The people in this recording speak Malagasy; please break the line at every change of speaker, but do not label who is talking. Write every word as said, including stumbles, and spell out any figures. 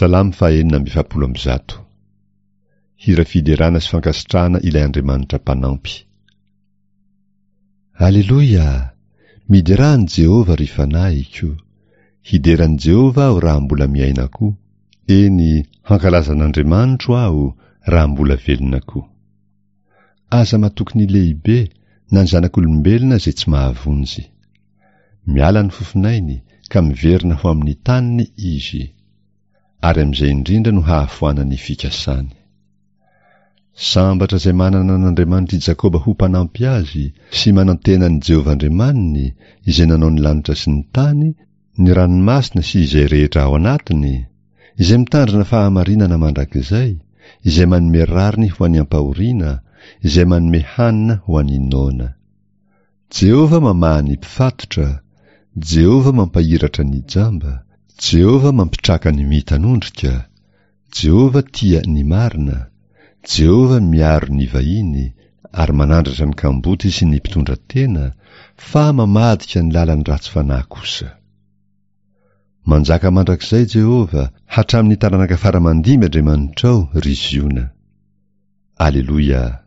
Salamo fahaenina amby efapolo amby zato. Hira fiderana sy fankasitrahana ilay Andriamanitra mpanampy. Aleloia! Miderà an'i Jehovah, ry fanahiko! Hidera an'i Jehovah aho raha mbola miaina koa. Eny, hankalaza an'Andriamanitro aho raha mbola velona koa. Aza matoky ny lehibe na ny zanak'olombelona izay tsy mahavonjy. Miala ny fofonainy ka miverina ho amin'ny taniny izy. Ary amin'izay indrindra no hahafoanany fikasany. Sambatra izay manana an'Andriamanitr'i Jakoba ho mpanampy azy sy manantena an'i Jehovah Andriamaniny izay nanao ny lanitra sy ny tany, ny ranomasina sy izay rehetra ao anatiny, izay mitandrina fahamarinana mandrakizay, izay manome rariny ho an'ny ampahoriana, izay manome hanina ho an'ny noana. Jehovah mamaha ny mpifatotra, Jehovah mampahiratra ny jamba, Jehovah mampitraka ny mitanondrika, Jehovah tia ny marina, Jehovah miaro ny vahiny ary manandratra ny kamboty sy ny mpitondra tena, fa mamadika ny lalan'ny ratsy fanahy kosa. Manjaka mandrakizay Jehovah, hatramin'ny taranaka fara mandimby Andriamanitrao, ry Ziona. Aleloia!